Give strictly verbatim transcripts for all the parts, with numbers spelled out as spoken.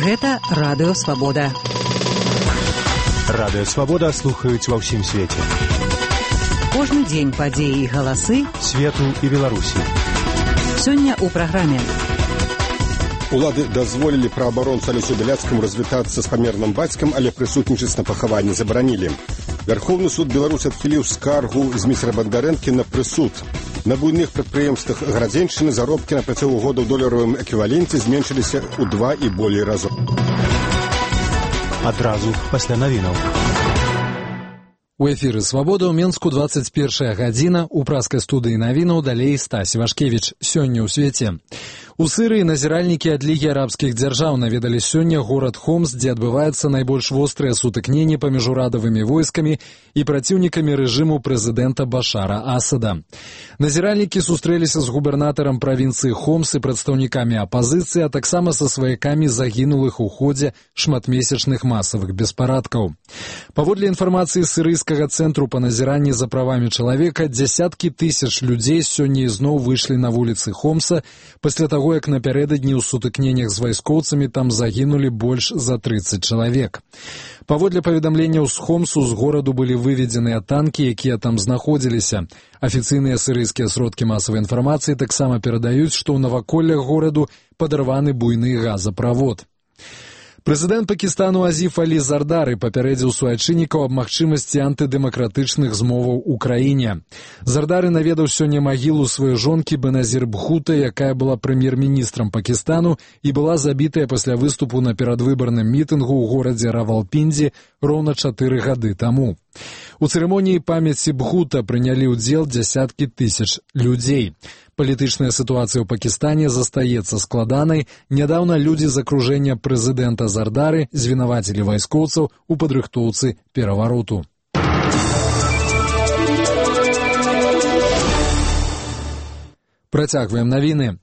Гэта Радыё Свабода. Радыё Свабода слухаюць ва ўсім свеце. Кожны дзень падзеі і галасы свету і Беларусі. Сёння ў праграме. Улады дазволілі праабаронцу Алесю Бяляцкаму развітацца з памерным бацькам, але прысутнічаць на пахаванні забаранілі. Верховны суд Беларусі адхіліў скаргу з міцера Бандарэнкі на прысуд. На буйных прадпрыемствах Гарадзеншчыны заробкі на працягу года ў доларавым эквіваленце зменшыліся ў два і болей разоў. Адразу пасля навінаў. У эфіры «Свабода» ў Менску двадцать першая гадзіна. У праскай студыі навінаў далей Стась Вашкевіч. Сёння ў свеце. У Сырыі назіральнікі ад Лігі арабскіх дзяржаў наведалі сёння горад Хомс, дзе адбываецца найбольш вострыя сутыкненні паміж урадавымі войскамі і праціўнікамі рэжыму прэзідэнта Башара Асада. Назіральнікі сустрэліся з губернатарам правінцыі Хомс і прадстаўнікамі апазіцыі, а таксама са сваякамі загінулых у ходзе шматмесячных масавых беспарадкаў. Паводле інфармацыі сырыйскага цэнтру па назіранні за правамі чалавека, дзясяткі тысяч людзей сёння ізноў выйшлі на вуліцы Хомса пасля таго, як напярэдадні ў сутыкненнях з вайскоўцамі там загінулі больш за трыццаць чалавек. Паводле паведамленняў з Хомсу, з гораду былі выведзеныя танкі, якія там знаходзіліся. Афіцыйныя сырыйскія сродкі масавай інфармацыі таксама перадаюць, што ў наваколлях гораду падарваны буйны газаправод. Прэзідэнт Пакістану Азіф Алі Зардары папярэдзіў суайчыннікаў аб магчымасці антыдэмакратычных змоваў у краіне. Зардары наведаў сёння магілу сваёй жонкі Беназір Бхута, якая была прэм'ер-міністрам Пакістану і была забітая пасля выступу на перадвыбарным мітынгу ў горадзе Равалпіндзі роўна чатыры гады таму. У цырымоніі памяці Бхута прынялі ўдзел дзясяткі тысяч людзей. Палітычная сітуацыя ў Пакістане застаецца складанай. Нядаўна людзі з акружэння прэзідэнта Зардары звінавацілі вайскоўцаў у падрыхтоўцы перавароту. Працягваем навіны.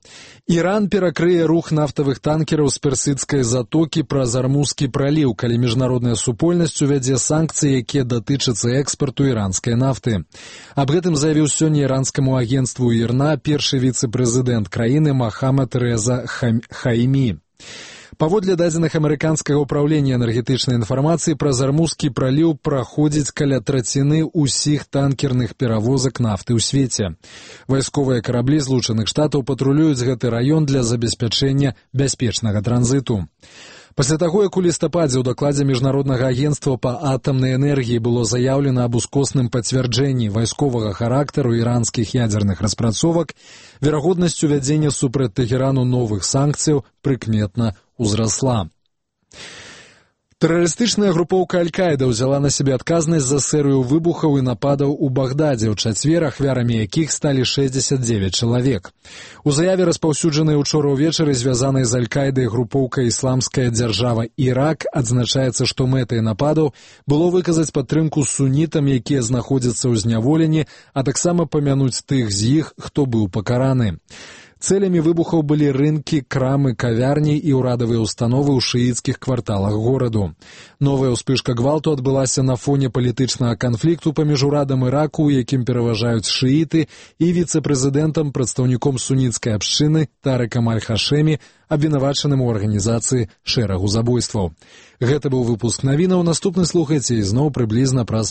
Іран перакрые рух нафтавых танкераў з персідскай затокі праз Армузскі праліў, калі міжнародная супольнасць увядзе санкцыі, якія датычацца экспарту іранскай нафты. Аб гэтым заявіў сёння іранскаму агенцтву ІРНА першы віцэ-прэзідэнт краіны Махамад Рэза Хаімі. Паводле дадзеных амерыканскага ўпраўлення энергетычнай інфармацыі, праз Армузскі праліў праходзіць каля траціны ўсіх танкерных перавозак нафты ў свеце. Вайсковыя караблі Злучаных Штатаў патрулююць гэты раён для забеспячэння бяспечнага транзіту. Пасля таго, як у лістападзе ў дакладзе Міжнароднага агенцтва па атамнай энергіі было заяўлена аб ускосным пацвярджэнні вайсковага характару іранскіх ядзерных распрацовак, верагоднасць увядзення супраць Тэхерану новых санкцыяў прыкметна узрасла. Тэрарыстычная групоўка Аль-Каіда ўзяла на сябе адказнасць за серыю выбухаў і нападаў у Багдадзе, ў чацвер ахвярамі якіх сталі шэсцьдзесят дзевяць чалавек. У заяве, распаўсюджанай учора ўвечары, звязанай з Аль-Каідай групоўка «Ісламская дзяржава Ірак», адзначаецца, што мэтай нападаў было выказаць падтрымку сунітам, якія знаходзяцца ў зняволенні, а таксама памянуць тых з іх, хто быў пакараны. Цэлямі выбухаў былі рынкі, крамы, кавярні і ўрадавыя установы ў шыіцкіх кварталах гораду. Новая ўспышка гвалту адбылася на фоне палітычнага канфлікту паміж урадам Іраку, у якім пераважаюць шыіты, і віцэ-прэзідэнтам, прадстаўніком суніцкай абшчыны Тарыкам Аль-Хашэмі, абвінавачаным у арганізацыі шэрагу забойстваў. Гэта быў выпуск навінаў. Наступны слухайце ізноў прыблізна праз